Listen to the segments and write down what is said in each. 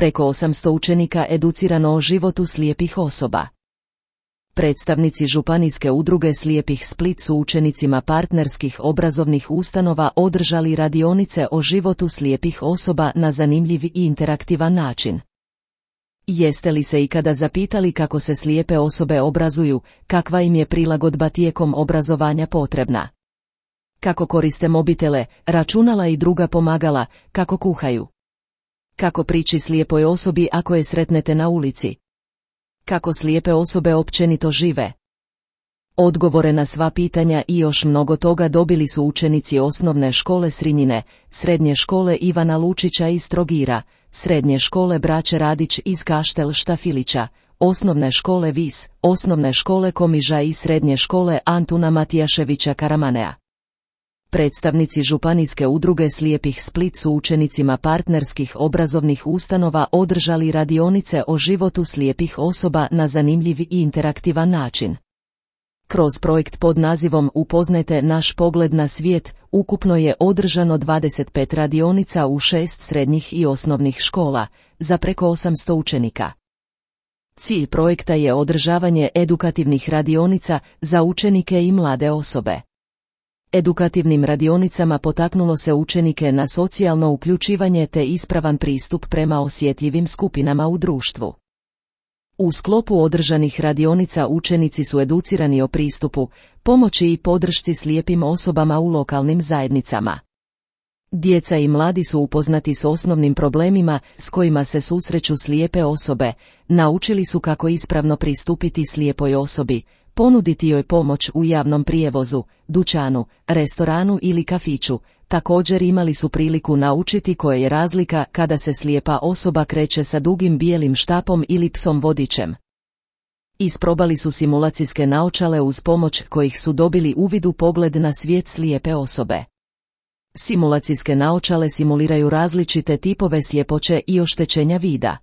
Preko 800 učenika educirano o životu slijepih osoba. Predstavnici Županijske udruge slijepih Split su učenicima partnerskih obrazovnih ustanova održali radionice o životu slijepih osoba na zanimljiv i interaktivan način. Jeste li se ikada zapitali kako se slijepe osobe obrazuju, kakva im je prilagodba tijekom obrazovanja potrebna? Kako koriste mobitele, računala i druga pomagala, kako kuhaju? Kako prići slijepoj osobi ako je sretnete na ulici? Kako slijepe osobe općenito žive? Odgovore na sva pitanja i još mnogo toga dobili su učenici osnovne škole Srinjine, srednje škole Ivana Lučića iz Trogira, srednje škole Braće Radić iz Kaštel Štafilića, osnovne škole Vis, osnovne škole Komiža i srednje škole Antuna Matijaševića Karamanea. Predstavnici Županijske udruge slijepih Split su učenicima partnerskih obrazovnih ustanova održali radionice o životu slijepih osoba na zanimljiv i interaktivan način. Kroz projekt pod nazivom Upoznajte naš pogled na svijet, ukupno je održano 25 radionica u 6 srednjih i osnovnih škola, za preko 800 učenika. Cilj projekta je održavanje edukativnih radionica za učenike i mlade osobe. Edukativnim radionicama potaknulo se učenike na socijalno uključivanje te ispravan pristup prema osjetljivim skupinama u društvu. U sklopu održanih radionica učenici su educirani o pristupu, pomoći i podršci slijepim osobama u lokalnim zajednicama. Djeca i mladi su upoznati s osnovnim problemima s kojima se susreću slijepe osobe, naučili su kako ispravno pristupiti slijepoj osobi, ponuditi joj pomoć u javnom prijevozu, dućanu, restoranu ili kafiću. Također imali su priliku naučiti koja je razlika kada se slijepa osoba kreće sa dugim bijelim štapom ili psom vodičem. Isprobali su simulacijske naočale uz pomoć kojih su dobili uvid u pogled na svijet slijepe osobe. Simulacijske naočale simuliraju različite tipove sljepoće i oštećenja vida.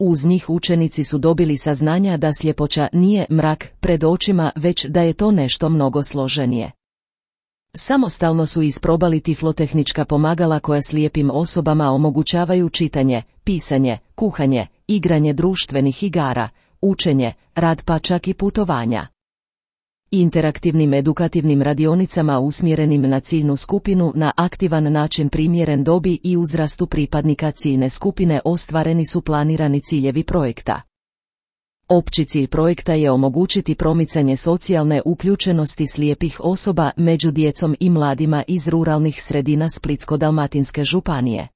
Uz njih učenici su dobili saznanja da sljepoća nije mrak pred očima, već da je to nešto mnogo složenije. Samostalno su isprobali tiflotehnička pomagala koja slijepim osobama omogućavaju čitanje, pisanje, kuhanje, igranje društvenih igara, učenje, rad pa čak i putovanja. Interaktivnim edukativnim radionicama usmjerenim na ciljnu skupinu na aktivan način primjeren dobi i uzrastu pripadnika ciljne skupine ostvareni su planirani ciljevi projekta. Opći cilj projekta je omogućiti promicanje socijalne uključenosti slijepih osoba među djecom i mladima iz ruralnih sredina Splitsko-dalmatinske županije.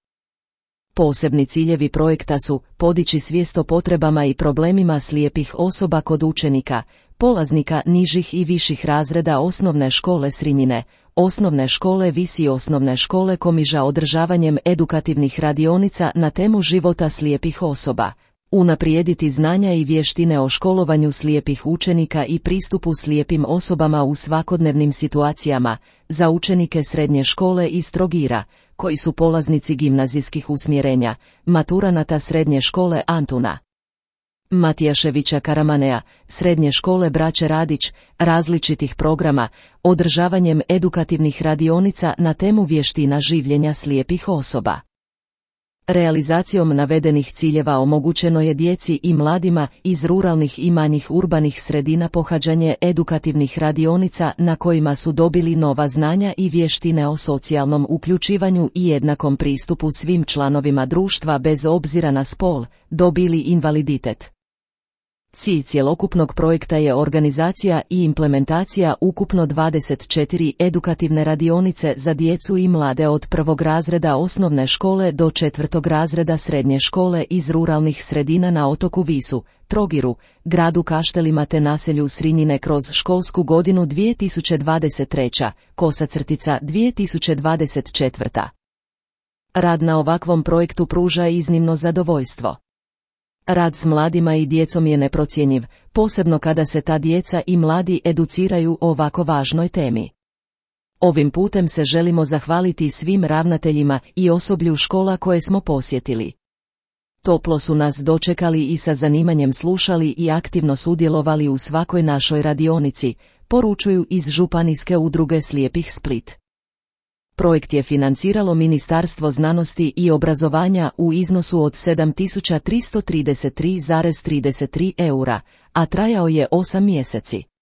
Posebni ciljevi projekta su podići svijest o potrebama i problemima slijepih osoba kod učenika, polaznika nižih i viših razreda osnovne škole Srinjine, osnovne škole Vis i osnovne škole Komiža održavanjem edukativnih radionica na temu života slijepih osoba, unaprijediti znanja i vještine o školovanju slijepih učenika i pristupu slijepim osobama u svakodnevnim situacijama, za učenike srednje škole iz Trogira, koji su polaznici gimnazijskih usmjerenja, maturanata srednje škole Antuna Matijaševića Karamanea, srednje škole Braće Radić, različitih programa, održavanjem edukativnih radionica na temu vještina življenja slijepih osoba. Realizacijom navedenih ciljeva omogućeno je djeci i mladima iz ruralnih i manjih urbanih sredina pohađanje edukativnih radionica na kojima su dobili nova znanja i vještine o socijalnom uključivanju i jednakom pristupu svim članovima društva bez obzira na spol, dob ili invaliditet. Cilj cjelokupnog projekta je organizacija i implementacija ukupno 24 edukativne radionice za djecu i mlade od 1. razreda osnovne škole do 4. razreda srednje škole iz ruralnih sredina na otoku Visu, Trogiru, gradu Kaštelima te naselju Srinjine kroz školsku godinu 2023/2024. Rad na ovakvom projektu pruža iznimno zadovoljstvo. Rad s mladima i djecom je neprocjenjiv, posebno kada se ta djeca i mladi educiraju o ovako važnoj temi. Ovim putem se želimo zahvaliti svim ravnateljima i osoblju škola koje smo posjetili. Toplo su nas dočekali i sa zanimanjem slušali i aktivno sudjelovali u svakoj našoj radionici, poručuju iz Županijske udruge slijepih Split. Projekt je financiralo Ministarstvo znanosti i obrazovanja u iznosu od 7.333,33 eura, a trajao je 8 mjeseci.